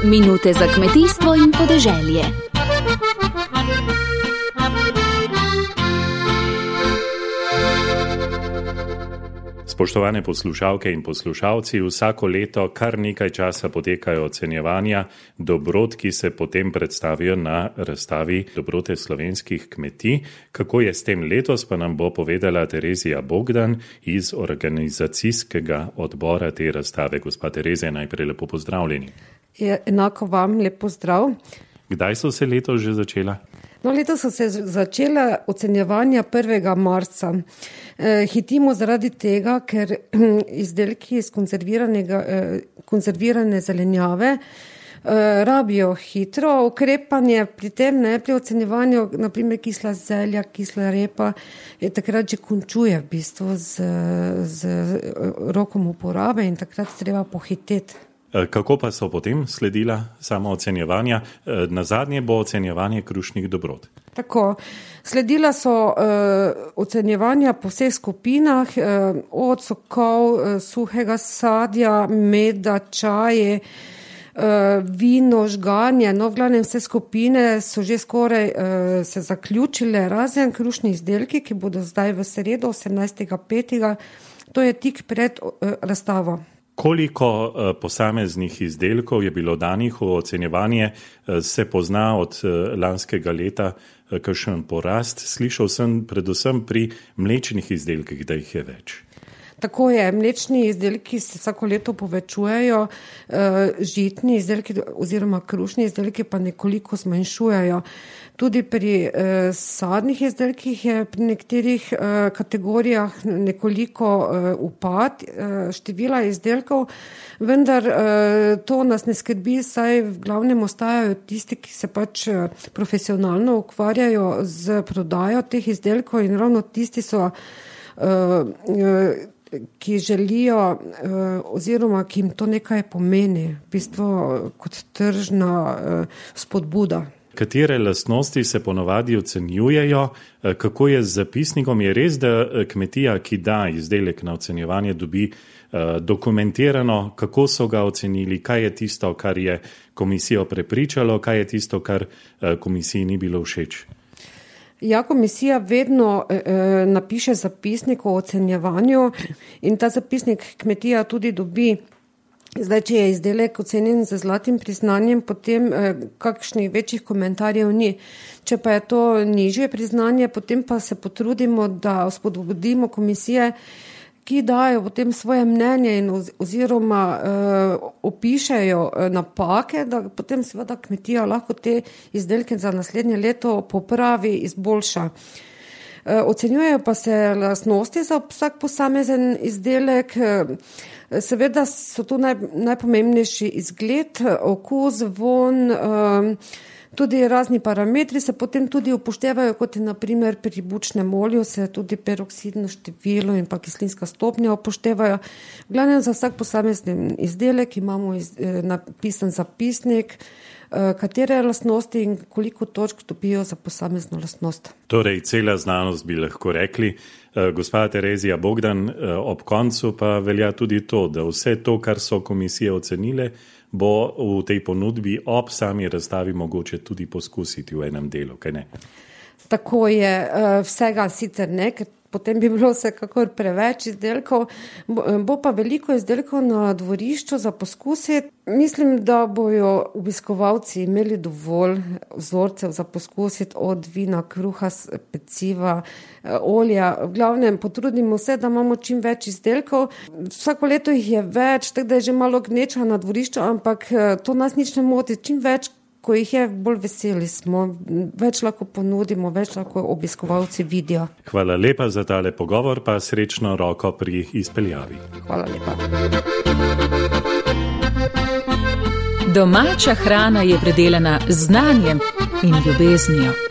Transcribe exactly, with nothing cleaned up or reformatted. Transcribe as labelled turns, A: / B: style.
A: Minute za kmetijstvo in podeželje.
B: Spoštovane poslušalke in poslušalci, vsako leto kar nekaj časa potekajo ocenjevanja dobrot, ki se potem predstavijo na razstavi Dobrote slovenskih kmetij. Kako je s tem letos, pa nam bo povedala Terezija Bogdan iz organizacijskega odbora te razstave. Gospa Terezija, najprej lepo pozdravljeni.
C: Je, enako vam lep pozdrav.
B: Kdaj so se letos že začela?
C: No, letos so se začela ocenjevanja prvega marca. E, hitimo zaradi tega, ker izdelki iz konzerviranega, e, konzervirane zelenjave e, rabijo hitro ukrepanje, pri tem ne pri ocenjevanju, naprimer kisla zelja, kisla repa, je takrat že končuje v bistvu z, z rokom uporabe in takrat treba pohiteti.
B: Kako pa so potem sledila samo ocenjevanja? Nazadnje bo ocenjevanje krušnih dobrot.
C: Tako, sledila so uh, ocenjevanja po vseh skupinah, uh, od sokov, uh, suhega sadja, meda, čaje, uh, vino, žganje, no v glavnem vse skupine so že skoraj uh, se zaključile, razen krušni izdelki, ki bodo zdaj v sredo osemnajstega petega To je tik pred uh, razstavo.
B: Koliko posameznih izdelkov je bilo danih v ocenjevanje, se pozna od lanskega leta kakšen porast? Slišal sem predvsem pri mlečnih izdelkih, da jih je več.
C: Tako je, mlečni izdelki se vsako leto povečujejo, žitni izdelki oziroma krušni izdelki pa nekoliko zmanjšujejo. Tudi pri eh, sadnih izdelkih je pri nekaterih eh, kategorijah nekoliko eh, upad eh, števila izdelkov, vendar eh, to nas ne skrbi, saj v glavnem ostajajo tisti, ki se pač eh, profesionalno ukvarjajo z prodajo teh izdelkov in ravno tisti so, eh, eh, ki želijo eh, oziroma ki jim to nekaj pomeni, v bistvu kot tržna eh, spodbuda.
B: Katere lastnosti se ponovadi ocenjujejo? Kako je z zapisnikom? Je res, da kmetija, ki da izdelek na ocenjevanje, dobi dokumentirano, kako so ga ocenili, kaj je tisto, kar je komisijo prepričalo, kaj je tisto, kar komisiji ni bilo všeč?
C: Ja, komisija vedno eh, napiše zapisnik o ocenjevanju in ta zapisnik kmetija tudi dobi. Zdaj, če je izdelek ocenjen z zlatim priznanjem, potem eh, kakšnih večjih komentarjev ni. Če pa je to nižje priznanje, potem pa se potrudimo, da spodbudimo komisije, ki dajo potem svoje mnenje in oz, oziroma eh, opišejo eh, napake, da potem seveda kmetija lahko te izdelke za naslednje leto popravi, izboljša. Ocenjujejo pa se lastnosti za vsak posamezen izdelek. Seveda so tu naj, najpomembnejši izgled, okus, von, tudi razni parametri se potem tudi upoštevajo, kot je na primer pri bučnem olju se tudi peroksidno število in pa kislinska stopnja upoštevajo. V glavnem za vsak posamezen izdelek imamo iz, napisan zapisnik, katere lastnosti in koliko točk dobijo za posamezno lastnost.
B: Torej, cela znanost bi lahko rekli. Gospa Terezija Bogdan, ob koncu pa velja tudi to, da vse to, kar so komisije ocenile, bo v tej ponudbi ob sami razstavi mogoče tudi poskusiti v enem delu, kaj ne?
C: Tako je, vsega sicer ne, ker potem bi bilo vsekakor preveč izdelkov, bo pa veliko izdelkov na dvorišču za poskusiti. Mislim, da bojo obiskovalci imeli dovolj vzorcev za poskusiti od vina, kruha, peciva, olja. V glavnem potrudimo se, da imamo čim več izdelkov. Vsako leto jih je več, tako da je že malo gneča na dvorišču, ampak to nas nič ne moti. Čim več, ko jih je, bolj veseli smo, več lahko ponudimo, več lahko obiskovalci vidijo.
B: Hvala lepa za tale pogovor, pa srečno roko pri izpeljavi.
C: Hvala lepa.
A: Domača hrana je predelana z znanjem in ljubeznijo.